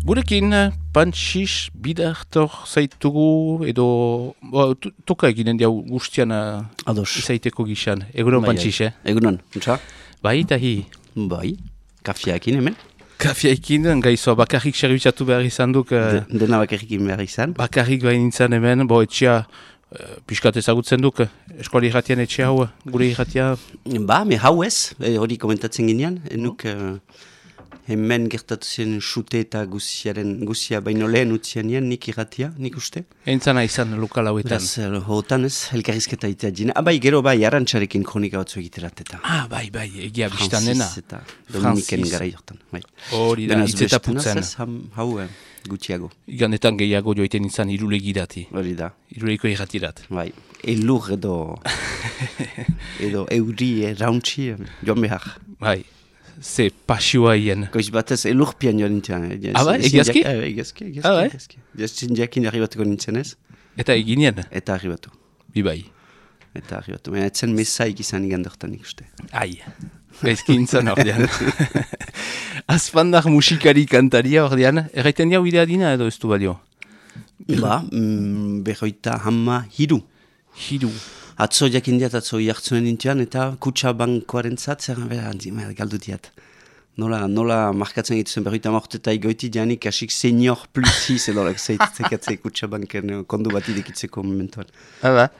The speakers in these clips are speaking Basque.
Gurekin, Pantxis, Bidartor zaitugu, edo toka eginen diau guztian izaiteko gixan. Egunon, Pantxis, Egunon, untsa? Bai, eta hi? Bai, kafiaekin hemen? Kafiaekin, gaizoa, bakarrik servizatu behar izan duk. Dena bakarrikin behar izan? Bakarrik bain nintzen hemen, etxea, piskat ezagutzen duk, eskuali irratian etxe hau, gure irratia. Ba, me hau ez, hori komentatzen ginean, enuk hemen gertatu zen xute eta guzia baino lehen utzian nian, nik irratia, nik uste. Entzana izan lokal hauetan. Beraz, hotan ez, elkarrizketa itea dina. Bai, gero bai, arantxarekin kronika batzu egiterat eta. Bai, egia biztan dena. Francis eta Dominiken gara jortan. Hori da, itzeta putzen. Hau gutxiago. Igandetan gehiago joiten izan irulegirati. Hori da. Iruleiko irratirat. Bai, elur edo euri rauntxi joan behar. Bai, ze pasioa hien. Goiz batez elurpian joan nintzen. Bai, egiazki? Egiazki. Jaztin jakin arribatuko nintzen ez. Eta eginien? Eta arribatu. Bai. Eta arribatu. Baina etzen mesaik izan igandortan ikuste. Ai, gaizki nintzen ordean. Azpandak musikari kantaria ordean. Erraiten jau idea dina edo ez du balio? Ba, berroita hamma hiru. Hiru. Atzo jakin diat, atzo jartzuen nintzen, eta kutsa bankoaren zat, zer galdu diat. Nola markatzen gituzen berroita morte eta igoiti dianik asik senior plus 6 edolak zeikatzei kutsa banken kondu bat idekitzeko momentuan. Hala?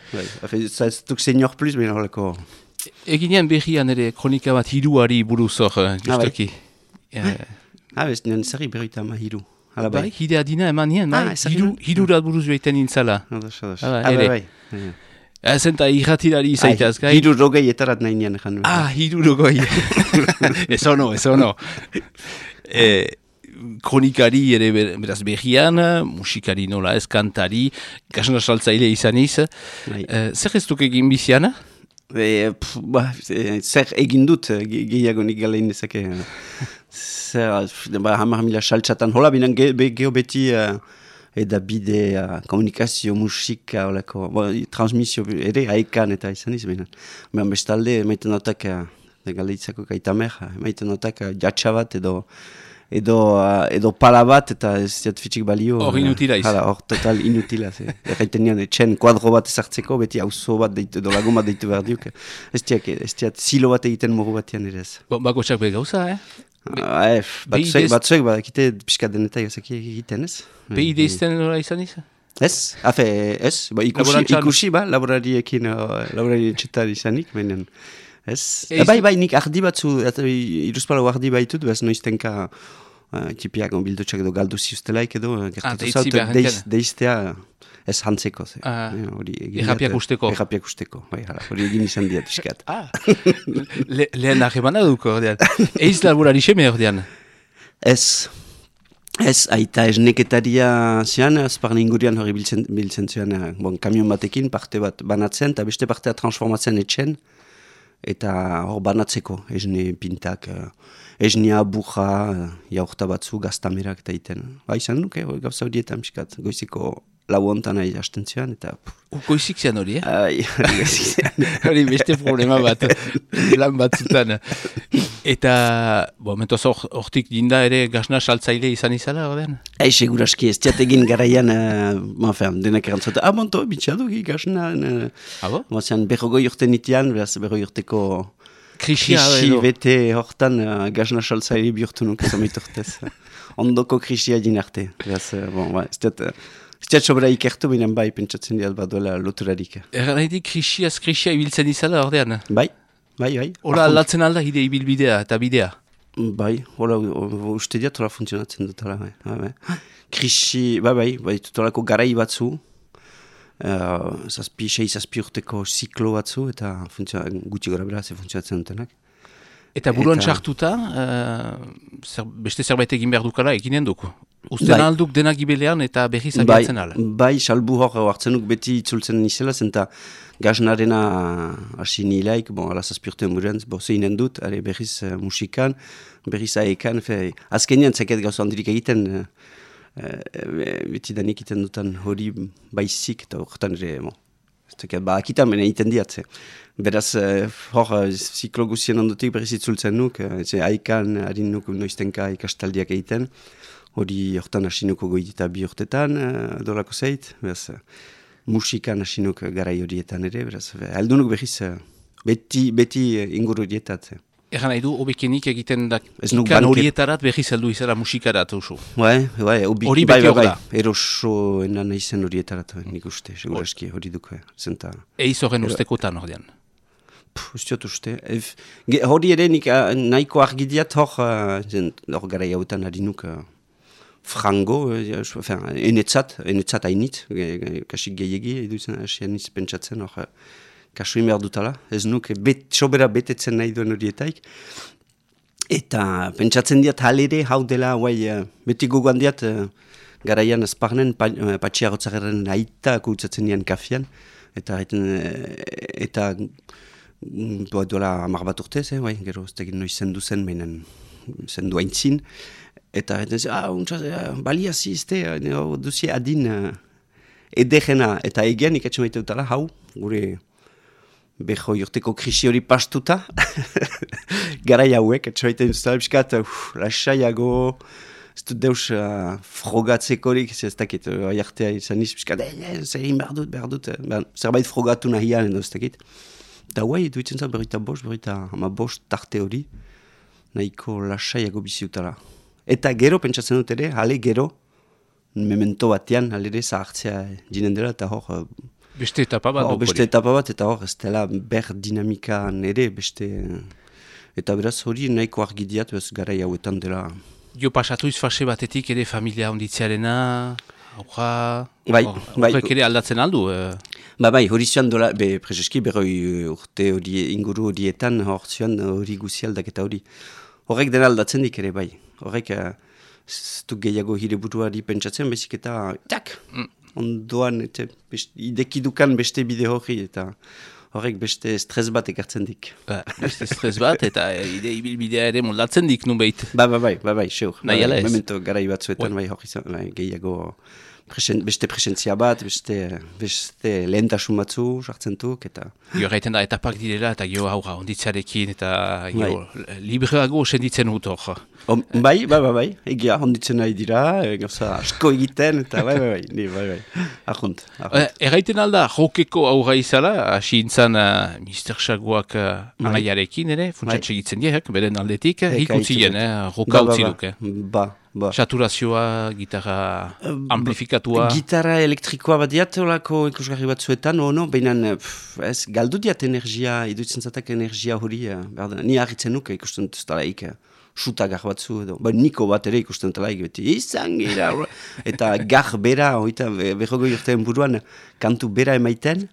Ez duk senior plus, baina horreko... Eginean berrian ere kronika bat hiruari buruz hor, justoki. Bez, nien zerri berroita ama hiru. Bai, hidea dina eman nien, hirurat buruz joiten nintzala. Bai. Zenta irratirari izaitaz, gai? Hiru rogei etarat nahi nian egan. Hiru rogei. Ez ono. Kronikari ere beraz berrian, musikari nola ez, kantari, kasna saltzaile izaniz. Zer ez duk egin biziana? Zer egin dut, gehiago nik galein dezake. Zer, hamar mila saltzatan, hola binan geho beti... Eda bide, komunikazio, musika, transmisio ere haikan eta izan izan. Behan bestalde, maiten notak, galdeitzako kaitamer, maiten notak jatsabat edo pala bat eta ez diat fitxik balio. Hor inutila izan. Hor total inutila. Erraiten nian, etxen kuadro bat ezartzeko, beti auzo bat deitu, edo lagun bat deitu behar diuk. Ez diat zilo bat egiten moru batian ere ez. Bako txak begauza, Batzuek badakite pixka denetai egiten ez? PID izten nola izan izan? Ez, ikusi laborariekin, laborari etxetar izanik, baina ez. Bai, nik ardi batzu, iruzpalau ardi baitut, bez noiztenka tipiak bildutxak edo galdu ziustelaik edo, gertatu zaut, deiztea ez hantzeko. Errapiak usteko. Errapiak usteko, hori egin izan diat iskat. Lehen ahemana duko, ordean. Eiz laborari xeme, ordean? Ez, aita esneketaria zian, azparne ingurian hori biltzen zian, kamion batekin, parte bat banatzen, eta beste partea transformatzen etxen, eta hor banatzeko, esne pintak, esnea, buja, jaurta batzu, gaztamerak eta iten. Izan nuke, gauza horietan miskat, goiziko lau hontan nahi hasten zian, eta... Goizik zian hori, Hori beste problema bat, lan batzutan. Eta, mentoz hortik dinda ere gazna saltzaile izan izala, ordean? Seguraski, ez diategin garaian, denak erantzuta, monto, bitxadugi gazna... Mozean, berrogoi urte nitian, berrogoi urteko... Krisi bete hortan gazna saltzaile bihurtu nuk, zamit urtez. Ondoko krisia din arte. Ez diat sobera ikertu, binen bai, pentsatzen diat baduela loturarik. Erraitik krisia ibiltzen izala, ordean? Bai. Hola aldatzen alda hide ibilbidea eta bidea? Bai, hola uste diat hola funtzionatzen dut. Krisi, bai, tutolako garai batzu, zazpi urteko ziklo batzu, eta gutxi gora bera ze funtzionatzen dutenak. Eta buruan txartuta, beste zerbait egin behar dukala eginen duk? Usten alduk denak ibelean eta berriz abiatzen ala? Bai, salbu hor hartzen duk beti itzultzen nizela, zenta gaznarena hasi nilaik, ala zazpiurten buruan, zeinen dut, berriz musikan, berriz aekan, azkenean zeket gauza handirik egiten, beti danik egiten dutan hori baizik, eta horretan ere, akitan bene egiten diatze. Beraz, hor, ziklo guzien ondotik berriz itzultzen nuk, aikan, harin nuk noiztenka ikastaldiak egiten. hori hortan hasinuko goitita 2 urtetan, dolako zeit, beraz, musikan hasinuk garai horietan ere, beraz, aldunuk behiz, beti inguru horietat. Egan nahi du, obekenik egiten da ikan horietarat behiz heldu izara musikarat oso. Bai, hori beti hor da. Eroso enan izen horietarat, nik uste, seguraski hori duko. Eiz horren ustekotan ordean. Ustiot uste. Hori ere nik nahiko argidiat hor gara jautan harinuk frango, enetzat hainit, kasik gehiagi, eduzen asianiz pentsatzen hor, kasu behar dutala, ez nuk sobera betetzen nahi duen horietaik. Eta pentsatzen diat halere hau dela, beti gogoan diat, garaian azparnen patxiagotzaren aita kutsatzen dian kafian, eta duela 10 bat urtez, gero ez tegin noiz zendu zen, meinen zendu haintzin, eta balia zizte, duzie adin edegena, eta egean ikatzen maite dutala, hau, gure beho jorteko krisi hori pastuta, garai hauek, etxoaiten duztala, biskat, lasaiago, ez dut deus frogatzekorik, ez dakit, aiartea izan niz, biskat, zer egin behar dut, zerbait frogatu nahian, ez dakit. Eta duitzen zan berrita bost tarte hori, nahiko lasaiago biziutala. Eta gero, pentsatzen dut ere, hale gero, memento batean, hale ere zahartzea jinen dela, eta hor, beste etapa bat. Beste etapa bat, eta hor, ez dela ber dinamikan ere, eta beraz hori nahiko argidiat, bez garai hauetan dela. Jo pasatu izfase batetik ere familia onditzearena, horrek ere aldatzen aldu? Hori zuan dola, prezeski berroi urte inguru horietan, hor zuan hori guzi aldaketa hori. Horrek dena aldatzen dik ere, horrek ez du gehiago hire buruari pentsatzen, bezik eta, ondoan, idekidukan beste bide hori, eta horrek beste stres bat ekartzen dik. Beste stres bat, eta ibilbidea ere moldatzen dik, nun behit. Seur. Nahi ala ez. Memento garai batzuetan, hori gehiago beste presentzia bat, beste lehentasun batzu, sartzen duk, eta... Gio gaiten da, etapak direla, eta gio haura onditzarekin, eta gio libreago senditzen dut hor. Bai, egia onditzen nahi dira, gauza asko egiten, eta bai, ahunt. Erraiten alda, jokeko aurra izala, hasi intzan Mr. Shaguak anaiarekin ere, funtsatxe egitzen diek, beren aldetik, ikutzien, joka utzi duke. Saturazioa, gitarra amplifikatua. Gitarra elektrikoa bat diat, olako ikusgarri batzuetan, baina galdu diat energia, iduitzen zatak energia hori, ni harritzen nuke ikusten dut talaik, suta gar batzu edo. Niko bat ere ikusten talaik, beti izan gira, eta gar bera, berrogoi urtean buruan, kantu bera emaiten,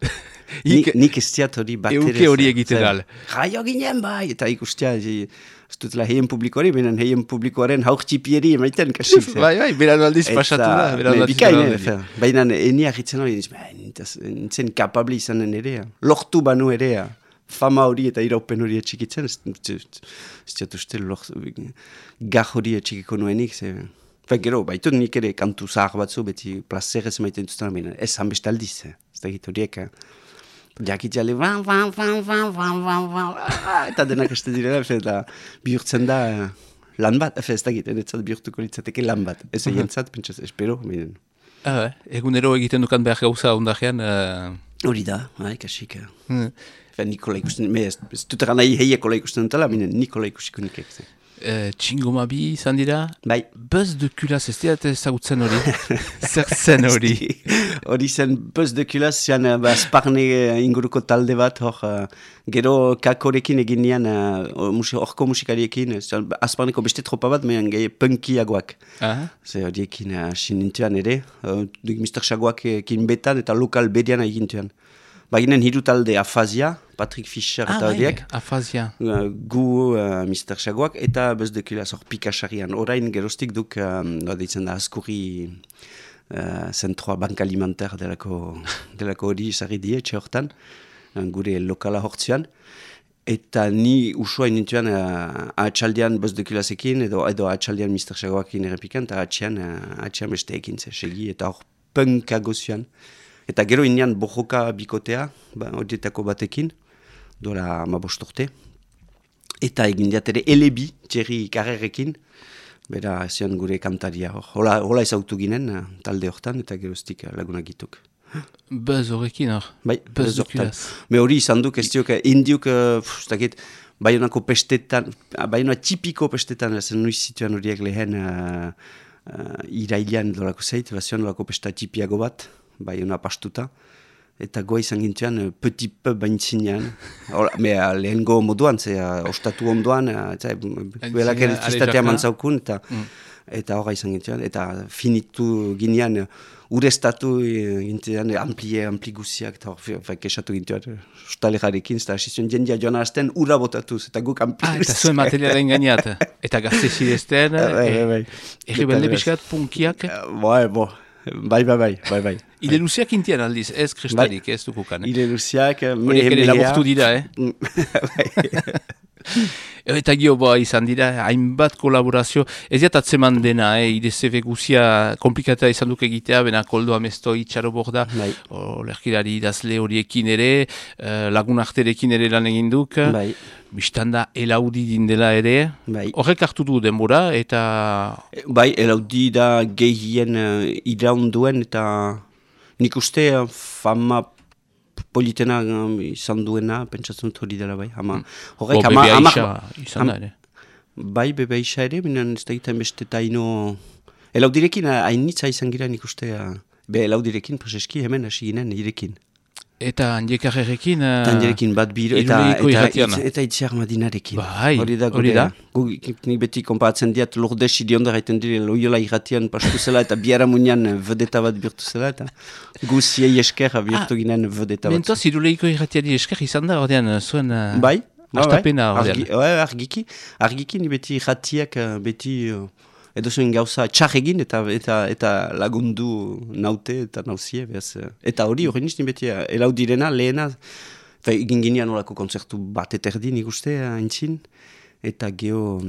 nik ez diat hori bat ere. Euke hori egiten gal. Jaio ginen eta ikustia, ez dutela heien publikoari, benen heien publikoaren haurtxipieri emaiten, kasik. Bai, beran aldiz pasatu da. Bikain, baina eni ahitzen hori, nintzen kapable izanen ere, lortu banu ere, fama hori eta iraupen hori etxikitzen, ez diat uste gar hori etxikiko nuenik, gero, baitu nik ere kantu zahar batzu, beti plazerez emaiten duzten, baina ez hanbeste aldiz, ez da egit horiek, jakitxale, eta denak este direla, eta bihurtzen da lan bat, ez da egiten, enetzat bihurtuko litzateke lan bat. Ez egentzat, pentsaz, espero. Egunero egiten dukan behar gauza ondajean? Hori da, kasik. Nikola ikusten, ez dutera nahi heiekola ikusten dutela, Nikola ikusiko nik egiten. Txingomabi izan dira? Bai. Buzz de Kulaz, ez dira ezagutzen hori? Zer zen hori? Hori zen Buzz de Kulaz, zian Azparne inguruko talde bat, gero kakorekin egin nian, horko musikariekin, Azparneko beste tropa bat, mehan gehi punkiagoak. Horiekin hasi nintuan ere, Mr. Shaguak ekin betan eta lokal bedian egin tuan. Baginen hiru talde Afazia, Patrick Fischer eta horiek. Afazia. Gu Mr. Shaguak eta Buzz de Kulaz hor pikasarian. Orain gerostik duk, deitzen da Azkurri zentroa bank alimenter delako hori izarri die, etxe hortan, gure lokala hortzian. Eta ni usua inintuan atxaldean Buzz de Kulazekin edo atxaldean Mr. Shaguakin errepikan, eta atxean beste ekin segi, eta hor punkago zuan. Eta gero inean bojoka bikotea, horietako batekin, dola 15 urte. Eta egin diat ere elebi, Thierry Carrerekin, Bera, zion gure kantaria. Hola ezautu ginen talde hortan eta geroztik lagunak gituk. Bez horrekin hor? Bai, bez horretan. Me hori izan duk, ez diok, indiuk, Baionako pestetan, Baioa tipiko pestetan, zen nuiz zituen horiek lehen irailean dolako zeit, zion dolako pesta tipiago bat, Baiona pastuta. Eta goa izan gintuan, petit peu baintzinean. Lehengo moduan, ostatu ondoan, belak elektristatea mantzaukun, eta horra izan gintuan. Eta finitu ginean, urestatu gintuan, ampli guziak, eta hor kesatu gintuan, ostalegarekin, eta hasi jendia joan harazten, ura botatuz, eta guk ampli guziak. Eta zuen materialen gainat, eta gazte zidezten, errebelde piskat, punkiak? Bai. Ile luziak intian aldiz, ez kristarik, ez dukukan. Ile luziak, horiek ere laburtu dira, Eta gio izan dira, hainbat kolaborazio, ez atzeman dena, IDCV guzia komplikata izan duk egitea, bena koldo amesto itxaro borda, lerkilari idazle horiekin ere, lagun arterekin ere lan egin duk, biztanda elaudi dindela ere, horrek hartu du denbora, eta... Bai, elaudi da gehien iraunduen, eta nik uste fama politena izan duena, pentsatzen hori dela bai. Bebe Aixa izan da ere. Bai, Bebe Aixa ere, binen ez da egiten beste taino... Elaudirekin hainitza izan gira nik uste, elaudirekin prozeski hemen hasi ginen irekin. Eta Andiekarrekin... Andiekarrekin bat biro, eta itziar madinarekin. Bai, hori da. Nik beti konparatzen diat Lourdes idionda gaiten dire Loyola irratian pastu zela eta biara munean vedeta bat birtu zela eta guziei esker birtu ginen vedeta bat. Mentoz, Iruleiko irratiari esker izan da, ordean, zuen... Bai, astapena, ordean. Argiki, ni beti irratiak beti... Edo zuen gauza txarregin eta lagundu naute eta nauzie. Eta hori nizti beti elaudirena lehena. Egin ginean olako kontzertu bat eterdi nik uste haintzin. Eta geho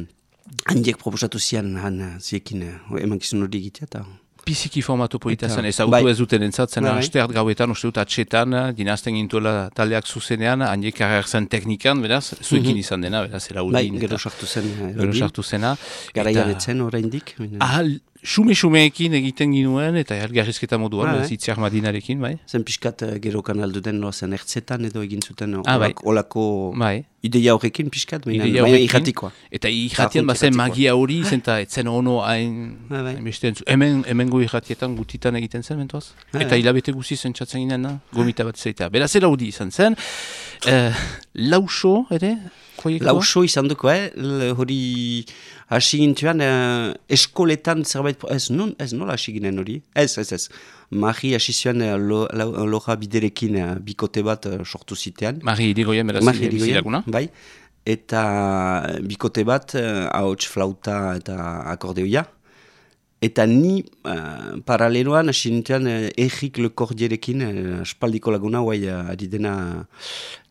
handiek proposatu zian ziekin emankizun hori egitea. Biziki formatu politazan, ezagutu ez duten entzatzen, astert gauetan, uste dut atxetan, dinazten gintuela taldeak zuzenean, handiek karrerzen teknikan, beraz, zuekin izan dena, beraz, eraudin. Bai, gero sartu zena. Garaian etzen, oraindik. Xume-xumeekin egiten ginuen, eta elgarrizketa moduan, zitziar madinarekin, bai? Zen pixkat gero kanaldu den, zen ertzetan edo egin zuten olako ideia horrekin pixkat, baina irratikoa. Eta irratian bazen magia hori, zenta etzen ono hain beste entzu. Hemengo irratietan gutitan egiten zen, mentoaz? Eta hilabete guzi zentsatzen ginen, gomita bat zeitea. Beraz, elaudi izan zen. Lauso, ere? Lauso izan duko, hori hasi gintuan eskoletan zerbait, ez nola hasi ginen hori? Ez. Mari hasi zuen loja biderekin bikote bat sortu zitean. Mari irigoien, beraz, bizilaguna? Bai, eta bikote bat, ahots flauta eta akordeoia. Eta ni paraleloan hasi nintzen Errik Lekordierekin, espaldiko laguna, ari dena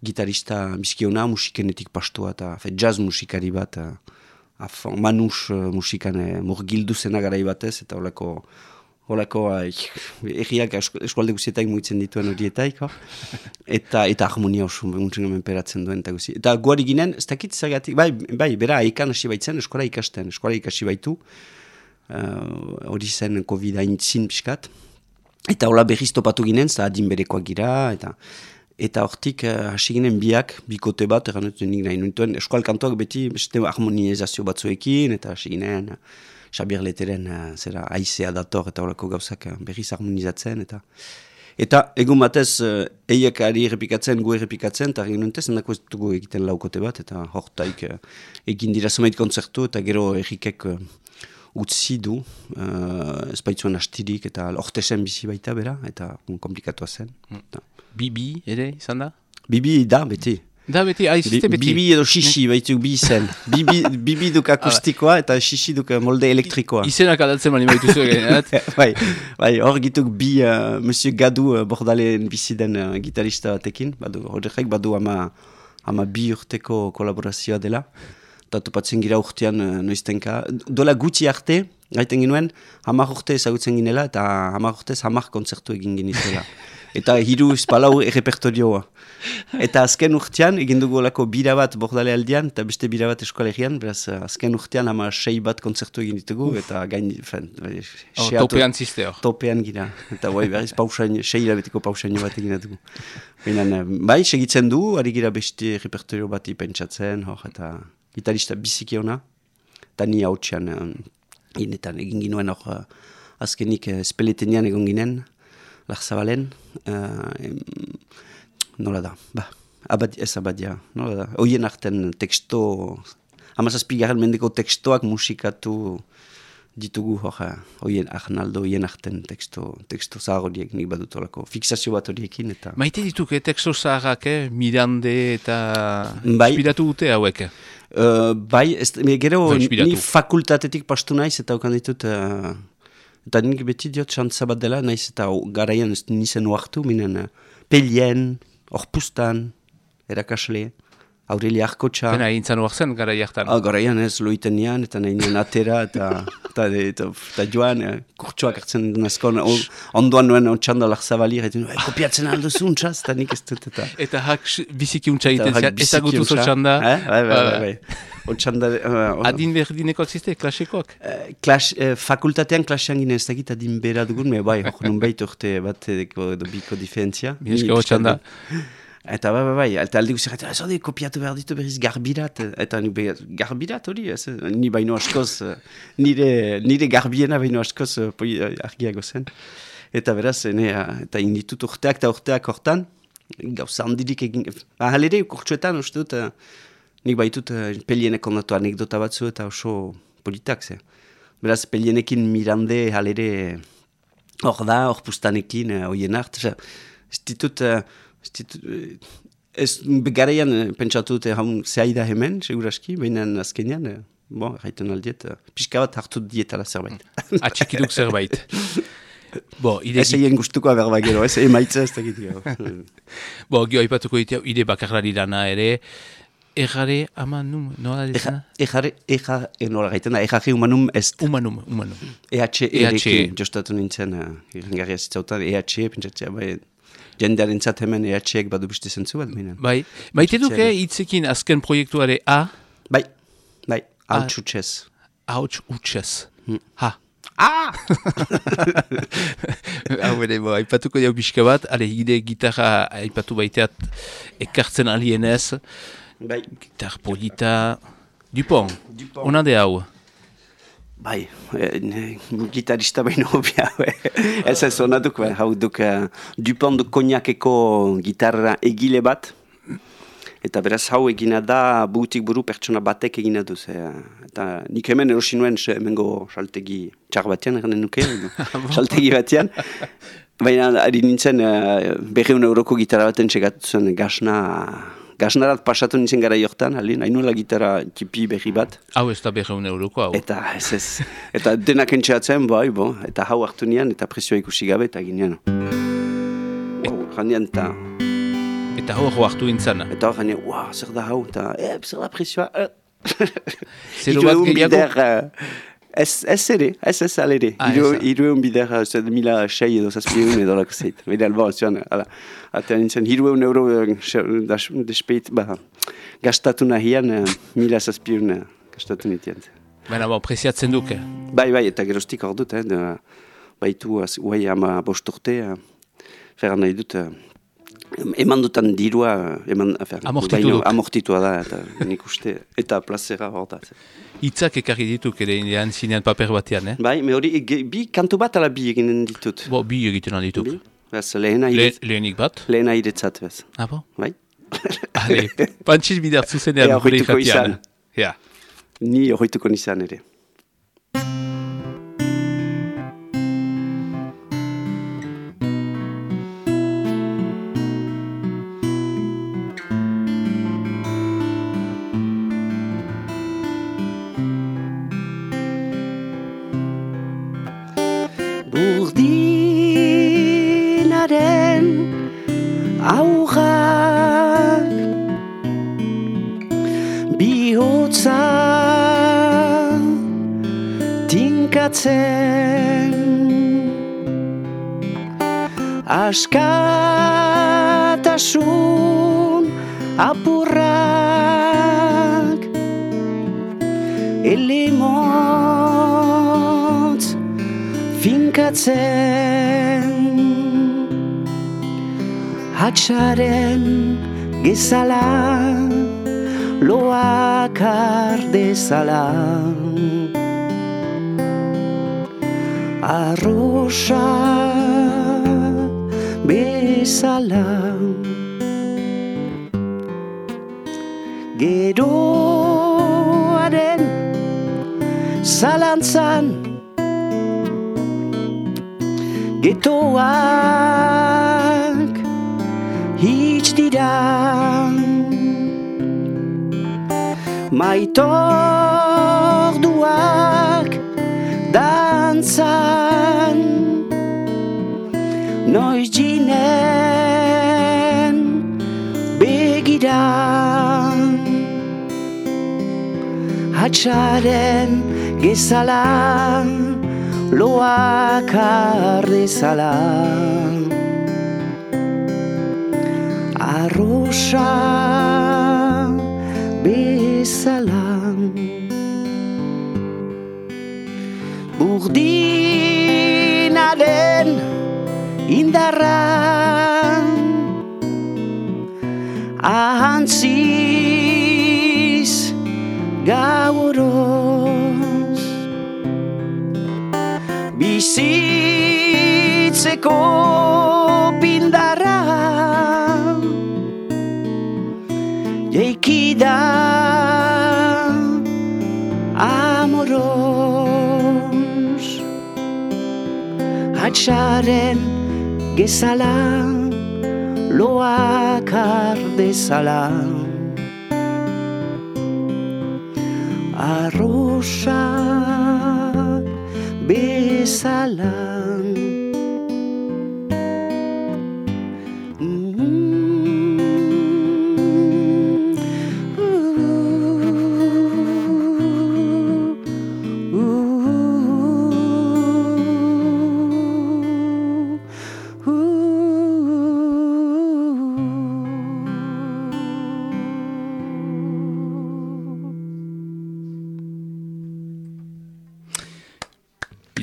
gitarista miskiona, musikenetik pastua, eta jazz musikari bat, manus musikan murgildu zena garai batez, eta holako erriak eskualde guzietak mugitzen dituen horietaik, eta harmonia oso muntzen peratzen duen, eta guzi. Eta guari ginen, ez dakit zagatik, bai, bera aikan hasi baitzen, eskola ikasi baitu, hori zen COVID haintzin pixkat. Eta hola berriz topatu ginen, adin berekoak gira, eta hortik hasi ginen biak, bikote bat, erranetu nik nahi nintuen, eskual kantoak beti beste harmonizazio batzuekin, eta hasi ginen Xabier Leteren aizea dator, eta horako gauzak berriz harmonizatzen, eta egun batez eiek ari errepikatzen, gu errepikatzen, eta egin nuntez, endako ez dugu egiten laukote bat, eta hortaik egin dira zumait kontzertu, eta gero errikek utzi du, espaitzuan astirik, eta ortesen bizi baita bera, eta komplikatua zen. Bibi ere izan da? Bibi da, beti. Da, beti, aiziste beti. Bibi edo xixi baituk bi izen. Bibi duk akustikoa eta xixi duk molde elektrikoa. Izenak aldatzen mani baitu zuen. Bai, hor gituk bi Monsieur Gadu Bordalen biziden gitarista batekin. Horrek badu ama bi urteko kolaborazioa dela. Eta topatzen gira urtean noiztenka. Dola gutxi arte, gaiten ginuen, 10 urte ezagutzen ginela, eta 10 urtez 10 kontzertu egin ginizela. Eta 3-4 errepertorioa. Eta azken urtean, egin dugu olako bira bat bordale aldean, eta beste bira bat eskolegian, beraz, azken urtean 6 bat kontzertu egin ditugu, eta gain, topean ziste hor. Topean gira, eta berriz 6 hilabeteko pausaino bat egin dugu. Bai, segitzen du, ari gira beste repertorio bat ipentsatzen, eta gitarista biziki ona, eta ni hautsean, egin ginuen hor, azkenik Speletenian egon ginen, Larzabalen, nola da, abadia, nola da. Oien arten teksto, 17. mendeko tekstoak musikatu ditugu oien Arnaldo, oien arten teksto zahar horiek nik badut olako, fixazio bat horiekin eta... Maite dituk, teksto zaharrak, Mirande eta inspiratu dute hauek? Bai, gero ni fakultatetik pastu naiz eta okan ditut... Eta nik beti diot xantza bat dela, naiz eta garaian nizen oartu, minen Pelien, Orpustan, erakasle, Aurelia Arkotxa. Pena egin zan oartzen garaiaktan? Garaian ez, loitenian, eta nahi nien atera, eta joan, kurtsuak hartzen nazkon, ondoan nuen otxanda Larzabali, eta kopiatzen alduzun txaz, eta nik ez dut, eta... Eta hak biziki untxa egiten zian, ez agutuz otxanda? Bai. Adin berdineko ziste, klasekoak? Fakultatean klasean gine ez dakit adin bera dugun, bai, nun behit urte bat edo biko diferentzia. Mieska otxanda. Eta bai, eta alde guztiak, eta ez hori kopiatu behar ditu berriz garbirat, eta garbirat hori, ni baino askoz, nire garbiena baino askoz argiago zen. Eta beraz, eta inditut urteak hortan, gauza handirik egin, halere kurtsuetan uste dut, nik baitut Pelienek ondatu anekdota batzu eta oso politak, ze. Beraz, Pelienekin Mirande halere hor da, hor pustanekin, hoien hart, ez ditut, ez garaian pentsatu dute haun zehaida hemen, seguraski, baina azkenean, erraiten aldiet, pixka bat hartu dietala zerbait. Atxikiduk zerbait. Ez egin gustuko berba gero, ez emaitza ez dakit gero. Gio haipatuko ditea, ide bakarlari dana ere, Errare amanum, nola dizena? Nola gaiten da, errare humanum ez. Humanum. EHE, jostatu nintzen, irrengarria zitzautan, EHE, pentsatzea, jendearen zat hemen EHEek badu beste zentzu bat, minen. Bai, maite duke hitzekin azken proiektuare A? Bai, hauts utxez. Hauts utxez. Ha. Hau ere, haipatuko jau pixka bat, ide gitarra haipatu baiteat ekartzen alienez. Bai. Gitar polita... Dupont. Ona de hau? Bai, gitarista baino hobia. Ez onaduk, hau duk Dupont du Kognakeko gitarra egile bat. Eta beraz hau egina da butik buru pertsona batek egina duz. Eta nik hemen erosi nuen hemengo saltegi txar batean, erren nuke, saltegi batean. Baina ari nintzen 200 euroko gitarra baten txegatu zen Gasnarat pasatu nintzen gara jortan, hainula gitarra tipi berri bat. Hau ez da 200 euroko, hau? Eta ez. Eta denak entxeatzen, eta hau hartu nian, eta presioa ikusi gabe, eta ginean. Ganean, eta... Eta hau hartu intzana? Eta hau ganean, zer da hau, eta zer da presioa. Zero bat gehiago? Ez alere. Hirueun bider, 2006 edo zazpieun edo lako zeit. Bede alba, zuan, eta nintzen, 200 euro despeit, gastatu nahian, 1000 zazpieun gastatu nitian. Baina, preziatzen duke? Bai, eta gerostik hor dut, baitu, guai ama bosturte, ferran nahi dut, eman dutan dirua, amortitua da, eta nik uste, eta plazera hor da. Itzak ekarri dituk ere indian zinean paper batean, Bai, me hori, bi kantu bat ala bi eginen ditut. Bi egiten dituk. Lehenik bat? Lehena iretzat, bez. Bo? Bai. Ale, pantxiz bidartzu zenean gure ikatian. Ni horretuko nizan ere. askatasun apurrak elemotz finkatzen hatsaren gezala loakar dezala arrosa bezala geroaren zalantzan getoak hitz dira maitorduak dantzan noiz jinen begiran hatsaren gezala loakar dezala arrosa bezala burdinaren indarra ahantziz gauroz bizitzeko pindarra jeikida amoros hatsaren gezala loakar dezala arrosa bezala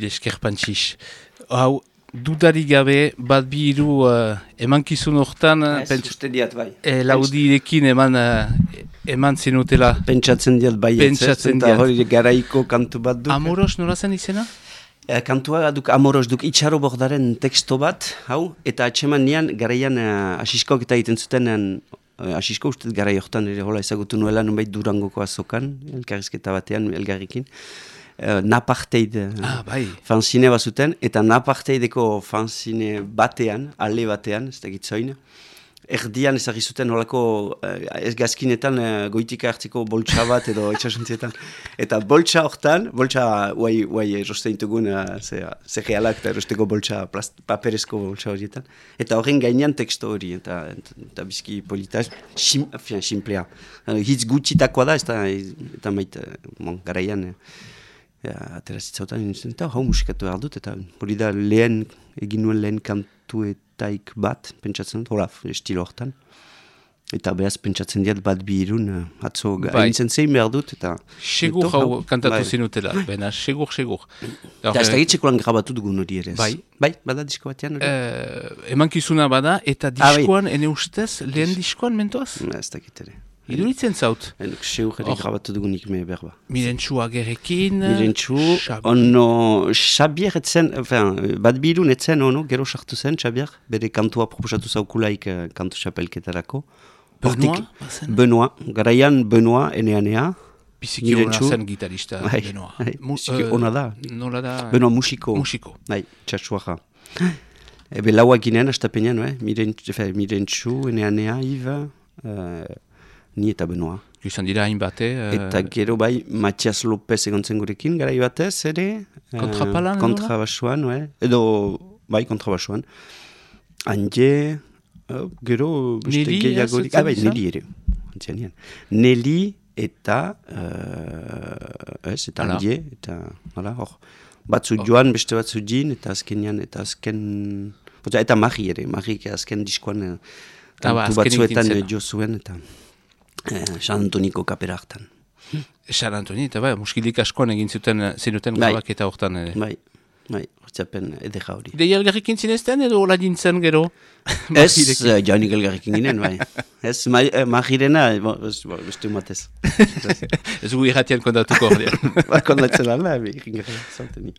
Eskerpantxix. Hau, dudarik gabe, bat bi hiru emankizun hortan, laudirekin eman zenutela. Pentsatzen diat bai, eta hori garaiko kantu bat duk. Amoros nola zen izena? Kantua duk Amoros duk itxaro bordaren teksto bat, hau, eta atseman nian garaian asiskok eta egiten zuten asisko ustez garai hortan ere hola ezagutu nuela nunbait Durangoko azokan, elkarrizketa batean, elgarrikin. Naparteid fanzine bazuten, eta naparteideko fanzine batean, ale batean, ez da gitzoin, erdian ezagri zuten holako ez gazkinetan goitika hartzeko boltsa bat edo etxasuntzietan. Eta boltsa hortan, boltsa guai eroste intugun zegealak eta erosteko boltsa, paperezko boltsa horietan. Eta horren gainean teksto hori, eta bizki polita, simplea. Hitz gutxitakoa da, eta maite, garaian, aterazitzautan nintzen, eta hau musikatu behar dut, eta hori da egin nuen lehen kantuetaik bat, pentsatzen dut, hola, estilo hortan. Eta behaz pentsatzen diat bat bi irun, atzo gaintzen zein behar dut, eta... Segur hau kantatu zinutela, bena, segur. Eta ez da gitzeko lan grabatu dugun hori ere. Bai, bada disko batean hori? Emankizuna bada, eta diskoan, ene ustez, lehen diskoan mentoaz? Ez da gitere. Iduritzen zaut? Enuk seur ere grabatu dugunik me berba. Mirentxu agerekin? Mirentxu, ono, Xabier etzen, bat birun etzen, ono, gero sartu zen, Xabier, bere kantua proposatu zaukulaik kantu xapelketarako. Benoit, garaian Benoit, enea. Biziki hona zen gitarista, Benoit. Biziki hona da. Nola da? Benoit musiko. Bai, txatsuaja. Ebe lauak ginen, astapenean, Mirentxu, enea, Iva... Ni eta Benoit. Izan dira hain bate... Eta gero bai, Matias Lopez egontzen gurekin, garai batez, ere... Kontrapalan, kontrabasuan, edo, bai, kontrabasuan. Anje, gero... Neli, Neli ere. Neli eta... eta Anje, eta... Hor, batzu joan, beste batzu jin, eta azken... Eta Mari ere, Marik azken diskoan kantu batzuetan jo zuen, eta San Antoniko kapera hartan. San Antoni, eta muskilik askoan egin zenuten grabak eta hortan ere. Bai, hortzapen edera hori. Ideia elgarrikin zinezten edo hola dintzen gero? Ez, jaunik elgarrikin ginen, bai. Ez, Marirena, beste matez. Ez gu irratian kondatuko hori. Kondatzen ala, egin gara, zanteni.